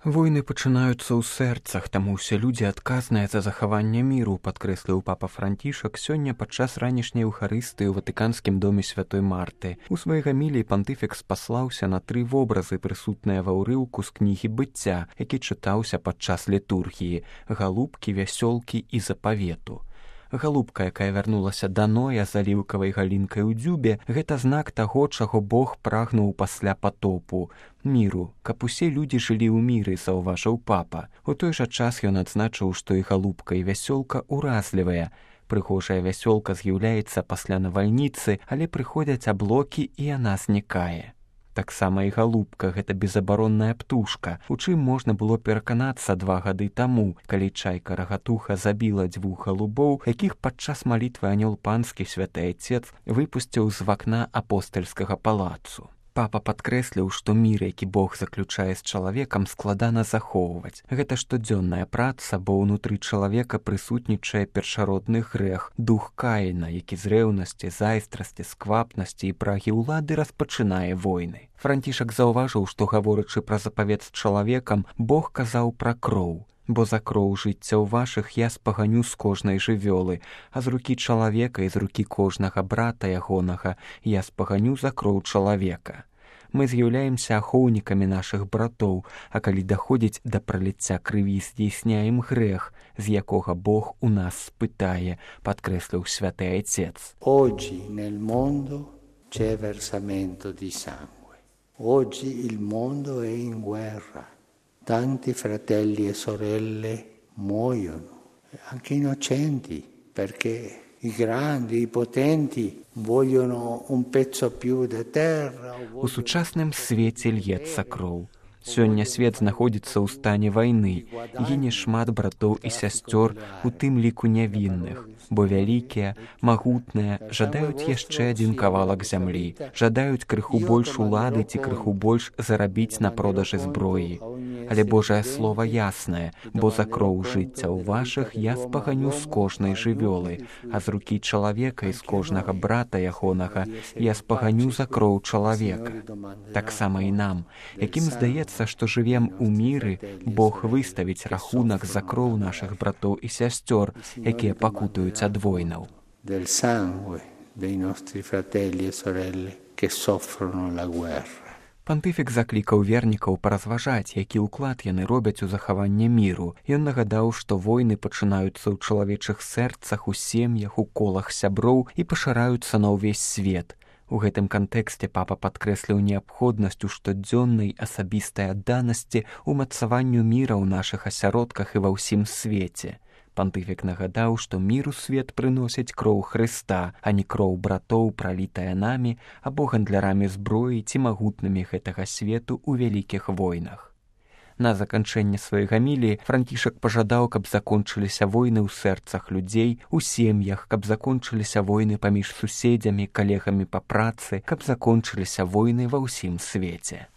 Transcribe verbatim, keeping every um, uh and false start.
Войны пачынаюцца ў сэрцах, таму ўсе людзі адказныя за захаванне міру, падкрэсліў папа Францішак сёння падчас ранішняй эўхарыстыі ў Ватыканскім доме святой Марты. У сваёй гаміліі пантыфік спаслаўся на тры вобразы, прысутныя ва ўрыўку з кнігі быцця, які чытаўся падчас літургіі: галубкі, вясёлкі і запавету. Галубка, якая вярнулася да Ноя з аліўкавай галінкай у дзюбе, гэта знак таго, чаго Бог прагнуў пасля патопу — міру, каб усе людзі жылі ў міры, заўважыў папа. У той жа час ён адзначыў, што і галубка, і вясёлка ўразлівыя. Прыгожая вясёлка з'яўляецца пасля навальніцы, але прыходзяць аблокі, і яна знікае. Таксама і галубка — гэта безабаронная птушка, у чым можна было пераканацца два гады таму, калі чайка-рагатуха забіла дзвюх галубоў, якіх падчас малітвы анёл панскі святы Айцец выпусціў з вакна апостальскага палацу. Папа падкрэсліў, што мір, які Бог заключае з чалавекам, складана захоўваць. Гэта штодзённая праца, бо ўнутры чалавека прысутнічае першародны грэх, дух Каіна, які з рэўнасці, зайздрасці, сквапнасці і прагі ўлады распачынае войны. Францішак заўважыў, што, гаворачы пра запавет з чалавекам, Бог казаў пра кроў. Бо за кроў жыццяў вашых я спаганю з кожнай жывёлы, а з рукі чалавека і з рукі кожнага брата ягонага я спаганю за кроў чалавека. Мы з'яўляемся ахоўнікамі нашых братоў, а калі даходзіць да праліцця крыві, здзейсняем грэх, з якога Бог у нас спытае, падкрэсліў святы Айцец. Oggi nel mondo c'è versamento di sangue. Oggi il mondo è in guerra. Tanti fratelli e sorelle muoiono, anche innocenti, perché i grandi, i potenti vogliono un pezzo più di terra. У сучасным свеце льецца кроў. Сёння свет знаходзіцца ў стане вайны, гіне шмат братоў і сясцёр, у тым ліку нявінных, бо вялікія, магутныя жадаюць яшчэ адзін кавалак зямлі, жадаюць крыху больш улады ці крыху больш зарабіць на продажы зброі. Але Божае слово яснае, бо за кроў жыццяў вашых я спаганю з кожнай жывёлы, а з рукі чалавека і з кожнага брата ягонага я спаганю за кроў чалавека. Таксама і нам, якім здаецца, што жывем у міры, Бог выставіць рахунак за кроў нашых братоў і сясцёр, якія пакутаюць ад войнаў. Del sangue dei nostri fratelli e sorelle che soffrono la guerra. Пантыфік заклікаў вернікаў паразважаць, які ўклад яны робяць у захаванне міру. Ён нагадаў, што войны пачынаюцца ў чалавечых сэрцах, у сем'ях, у колах сяброў і пашыраюцца на ўвесь свет. У гэтым кантэксце папа падкрэсліў неабходнасць у штодзённай асабістай адданасці ўмацаванню міра ў нашых асяродках і ва ўсім свеце. Пантыфік нагадаў, што міру свет прыносіць кроў Хрыста, а не кроў братоў, пралітая намі або гандлярамі зброі ці магутнымі гэтага свету ў вялікіх войнах. На заканчэнне сваёй гаміліі Францішак пажадаў, каб закончыліся войны ў сэрцах людзей, у сем'ях, каб закончыліся войны паміж суседзямі, калегамі па працы, каб закончыліся войны ва ўсім свеце.